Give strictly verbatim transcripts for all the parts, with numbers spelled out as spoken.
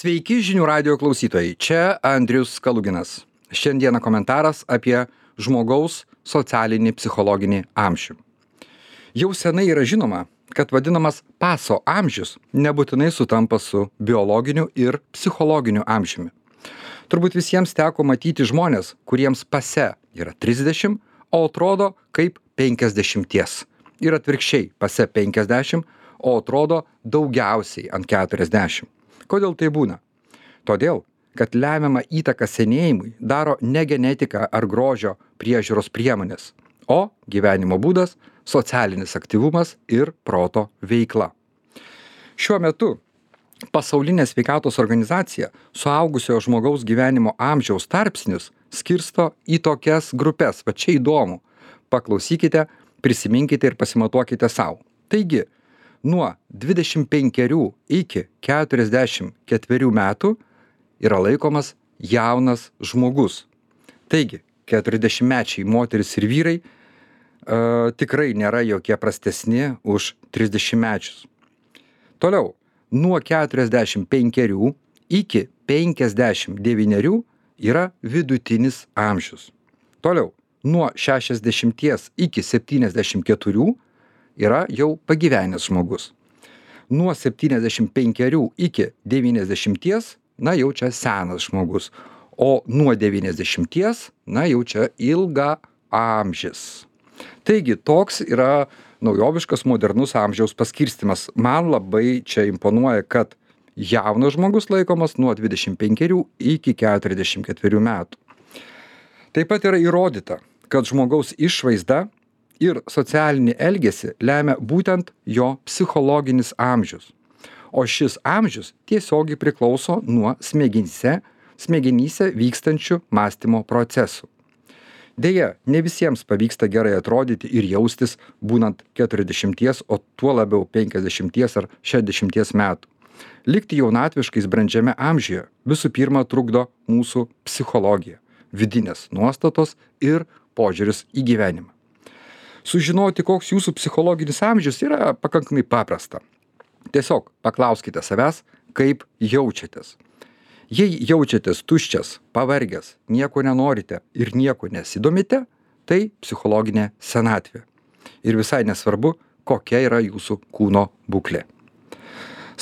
Sveiki žinių radio klausytojai, čia Andrius Kaluginas. Šiandieną komentaras apie žmogaus socialinį psichologinį amžių. Jau senai yra žinoma, kad vadinamas paso amžius nebūtinai sutampa su biologiniu ir psichologiniu amžiumi. Turbūt visiems teko matyti žmonės, kuriems pase yra trisdešimt, o atrodo kaip penkiasdešimties. Ir atvirkščiai, pase penkiasdešimt, o atrodo daugiausiai ant keturiasdešimt. Kodėl tai būna? Todėl, kad lemiamą įtaką senėjimui daro ne genetika ar grožio priežiūros priemonės, o gyvenimo būdas, socialinis aktyvumas ir proto veikla. Šiuo metu Pasaulinė sveikatos organizacija suaugusio žmogaus gyvenimo amžiaus tarpsnius skirsto į tokias grupes. Va čia įdomu. Paklausykite, prisiminkite ir pasimatuokite savo. Taigi, nuo dvidešimt penkerių iki keturiasdešimt ketverių metų yra laikomas jaunas žmogus. Taigi, keturiasdešimtmečiai moteris ir vyrai uh, tikrai nėra jokie prastesni už trisdešimtmečius. Toliau, nuo keturiasdešimt penkerių iki penkiasdešimt devynerių yra vidutinis amžius. Toliau, nuo šešiasdešimties iki septyniasdešimt keturių yra jau pagyvenęs žmogus. Nuo septyniasdešimt penkerių iki devyniasdešimties, na jau čia senas žmogus. O nuo devyniasdešimties, na jau čia ilgaamžis. Taigi, toks yra naujoviškas modernus amžiaus paskirstymas. Man labai čia imponuoja, kad jaunas žmogus laikomas nuo dvidešimt penkerių iki keturiasdešimt ketverių metų. Taip pat yra įrodyta, kad žmogaus išvaizda ir socialinį elgesį lemia būtent jo psichologinis amžius. O šis amžius tiesiogiai priklauso nuo smegenyse, smegenyse vykstančių mąstymo procesų. Deja, ne visiems pavyksta gerai atrodyti ir jaustis būnant keturiasdešimties, o tuo labiau penkiasdešimties ar šešiasdešimties metų. Likti jaunatviškais brandžiame amžiuje visų pirma trukdo mūsų psichologija, vidinės nuostatos ir požiūris į gyvenimą. Sužinoti, koks jūsų psichologinis amžius, yra pakankamai paprasta. Tiesiog paklauskite savęs, kaip jaučiatės. Jei jaučiatės tuščias, pavargęs, nieko nenorite ir nieko nesidomite, tai psichologinė senatvė. Ir visai nesvarbu, kokia yra jūsų kūno būklė.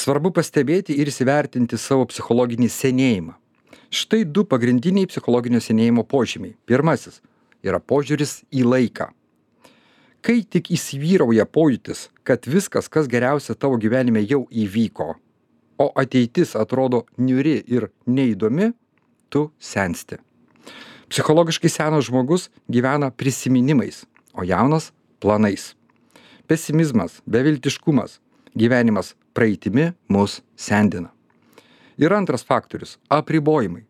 Svarbu pastebėti ir įsivertinti savo psichologinį senėjimą. Štai du pagrindiniai psichologinio senėjimo požymiai. Pirmasis yra požiūris į laiką. Kai tik įsivyrauja pojūtis, kad viskas, kas geriausia tavo gyvenime, jau įvyko, o ateitis atrodo niūri ir neįdomi, tu sensti. Psichologiškai senas žmogus gyvena prisiminimais, o jaunas planais. Pesimizmas, beviltiškumas, gyvenimas praeitimi mus sendina. Ir antras faktorius – apribojimai.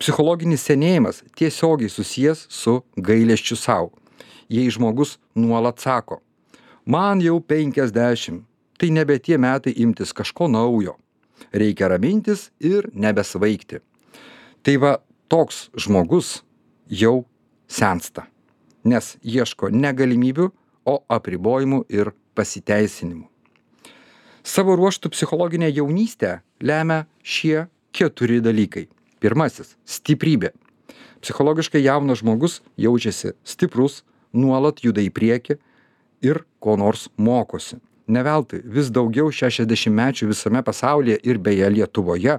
Psichologinis senėjimas tiesiogiai susijęs su gailesčiu sau. Jei žmogus nuolat sako, man jau penkiasdešimt, tai nebe tie metai imtis kažko naujo. Reikia ramintis ir nebesvaigti. Tai va, toks žmogus jau sensta, nes ieško ne galimybių, o apribojimų ir pasiteisinimų. Savo ruožtų psichologinę jaunystę lemia šie keturi dalykai. Pirmasis – stiprybė. Psichologiškai jaunas žmogus jaučiasi stiprus, nuolat juda į priekį ir ko nors mokosi. Ne veltui vis daugiau šešiasdešimtmečių visame pasaulyje ir beje Lietuvoje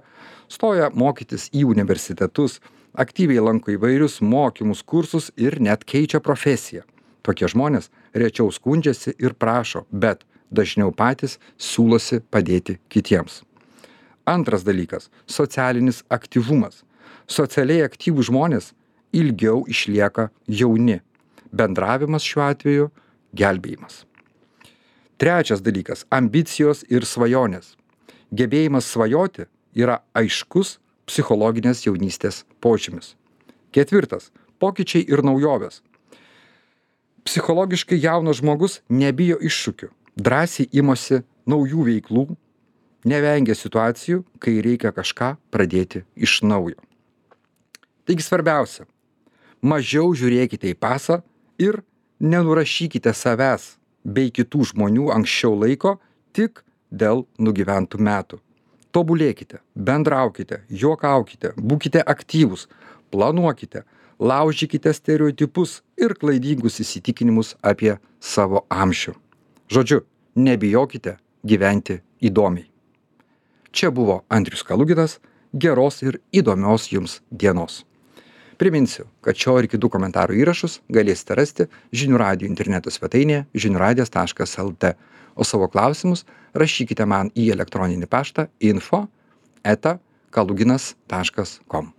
stoja mokytis į universitetus, aktyviai lanko įvairius mokymus, kursus ir net keičia profesiją. Tokie žmonės rečiau skundžiasi ir prašo, bet dažniau patys siūlosi padėti kitiems. Antras dalykas – socialinis aktyvumas. Socialiai aktyvūs žmonės ilgiau išlieka jauni. Bendravimas šiuo atveju – gelbėjimas. Trečias dalykas – ambicijos ir svajonės. Gebėjimas svajoti yra aiškus psichologinės jaunystės požymis. Ketvirtas – pokyčiai ir naujovės. Psichologiškai jaunas žmogus nebijo iššūkių, drąsiai imasi naujų veiklų, nevengia situacijų, kai reikia kažką pradėti iš naujo. Taigi svarbiausia – mažiau žiūrėkite į pasą ir nenurašykite savęs bei kitų žmonių anksčiau laiko tik dėl nugyventų metų. Tobulėkite, bendraukite, juokaukite, būkite aktyvūs, planuokite, laužykite stereotipus ir klaidingus įsitikinimus apie savo amžių. Žodžiu, nebijokite gyventi įdomiai. Čia buvo Andrius Kaluginas. Geros ir įdomios jums dienos. Priminsiu, kad šio ir kitų komentarų įrašus galėsite rasti Žinių radijo interneto svetainėje žinių radijas taškas lt, o savo klausimus rašykite man į elektroninį paštą info eta kaluginas taškas com.